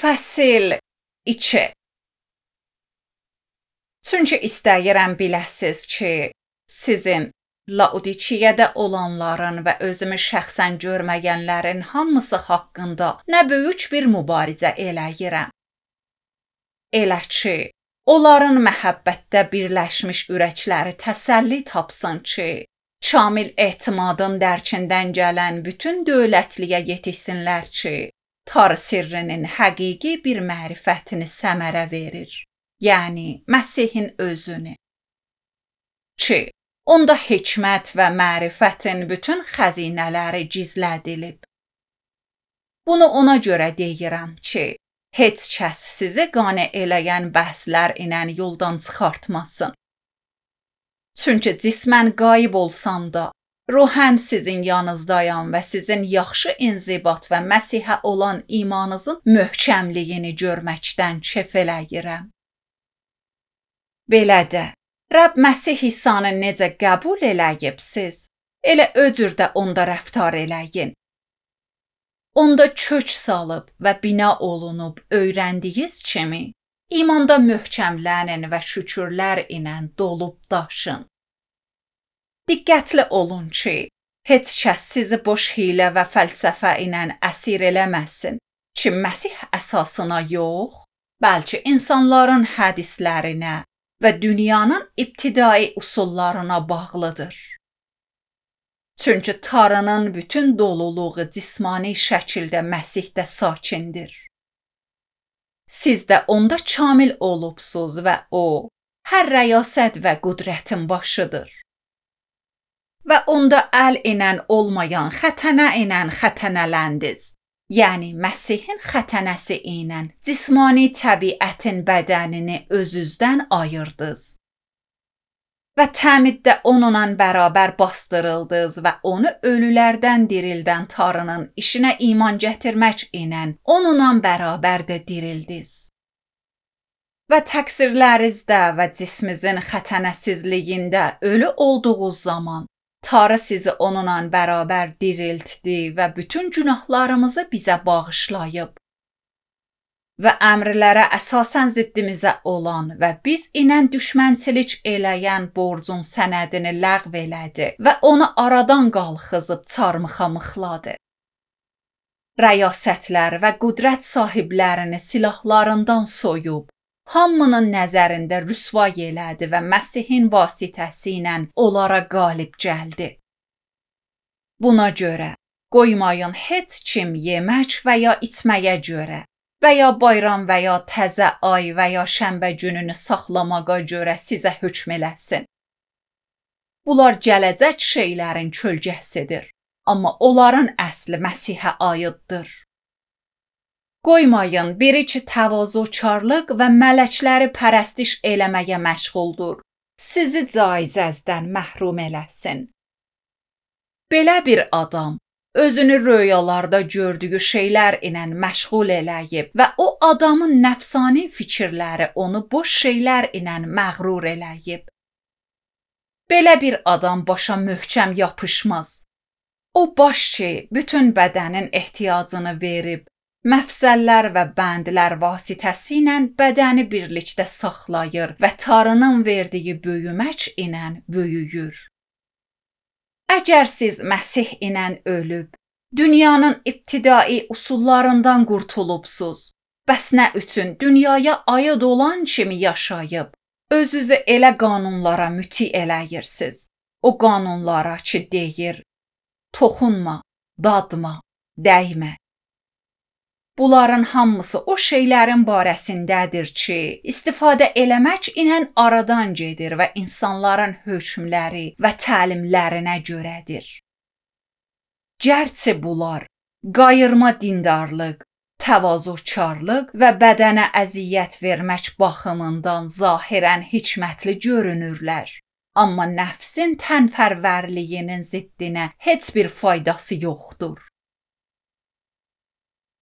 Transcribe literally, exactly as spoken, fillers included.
Fəsil iki. Çünki istəyirəm biləsiz ki, sizin Laodikiyədə olanların və özümü şəxsən görməyənlərin hamısı haqqında nə böyük bir mübarizə eləyirəm. Elə ki, onların məhəbbətdə birləşmiş ürəkləri təsəlli tapsın ki, kamil etimadın dərkindən gələn bütün dövlətliyə yetişsinlər ki, tar sirrinin həqiqi bir mərifətini səmərə verir, yəni Məsihin özünü. Ki, onda hikmət və mərifətin bütün xəzinələri gizlədilib. Bunu ona görə deyirəm ki, heç kəs sizi qane eləyən bəhslər ilə yoldan çıxartmasın. Çünki cismən qayıb olsam da, ruhən sizin yanınızdayam və sizin yaxşı inzibat və Məsihə olan imanınızın möhkəmliyini görməkdən kef eləyirəm. Belə də, Rəbb Məsih İsanı necə qəbul eləyibsiz, elə o cürdə onda rəftar eləyin. Onda kök salıb və bina olunub öyrəndiyiz kimi, imanda möhkəmlənin və şükürlər ilə dolub daşın. Diqqətli olun ki, heç kəs sizi boş hiylə və fəlsəfə ilə əsir eləməsin ki, Məsih əsasına yox, bəlkə insanların hədislərinə və dünyanın ibtidai usullarına bağlıdır. Çünki Tanrının bütün doluluğu cismani şəkildə Məsihdə sakindir. Siz də onda kamil olubsuz və o, hər rəyasət və qüdrətin başıdır. Və onda əl ilə olmayan xətənə ilə xətənələndiz. Yəni Məsihin xətənəsi ilə cismani təbiətin bədənini özünüzdən ayırdınız. Və təmiddə onunla bərabər bastırıldınız və onu ölülərdən dirildən Tanrının işinə iman gətirmək ilə onunla bərabər də dirildiniz. Və təqsirlərinizdə və cismizin xətənəsizliyində ölü olduğunuz zaman Tanrı sizi onunla bərabər diriltdi və bütün günahlarımızı bizə bağışlayıb. Və əmrlərə əsasən ziddimizə olan və biz ilə düşmənçilik eləyən borcun sənədini ləğv elədi və onu aradan qalxızıb çarmıxa-mıxladı. Rəyasətlər və qüdrət sahiblərini silahlarından soyub, hamının nəzərində rüsvay elədi və Məsihin vasitəsi ilə onlara qalib gəldi. Buna görə qoymayın heç kim yemək və ya içməyə görə və ya bayram və ya təzə ay və ya şənbə gününü saxlamağa görə sizə hökm eləsin. Bunlar gələcək şeylərin kölgəsidir, amma onların əsli Məsihə aiddir. Qoymayın biri ki təvazökarlıq və mələkləri pərəstiş eləməyə məşğuldur, sizi caizəzdən məhrum eləsin. Belə bir adam özünü röyalarda gördüyü şeylər ilə məşğul eləyib və o adamın nəfsani fikirləri onu boş şeylər ilə məğrur eləyib. Belə bir adam başa möhkəm yapışmaz. O baş ki, bütün bədənin ehtiyacını verib, məfsəllər və bəndlər vasitəsilə bədəni birlikdə saxlayır və Tanrının verdiyi böyümək ilə böyüyür. Əgər siz Məsih ilə ölüb, dünyanın ibtidai usullarından qurtulubsuz, bəs nə üçün dünyaya aid olan kimi yaşayıb, özünüzü elə qanunlara müti eləyirsiniz. O qanunlara ki deyir, toxunma, dadma, dəymə. Bunların hamısı o şeylərin barəsindədir ki, istifadə eləmək ilə aradan gedir və insanların hökmləri və təlimlərinə görədir. Gərçi bunlar qayırma dindarlıq, təvazökarlıq və bədənə əziyyət vermək baxımından zahirən hikmətli görünürlər, amma nəfsin tənpərvərliyinin ziddinə heç bir faydası yoxdur.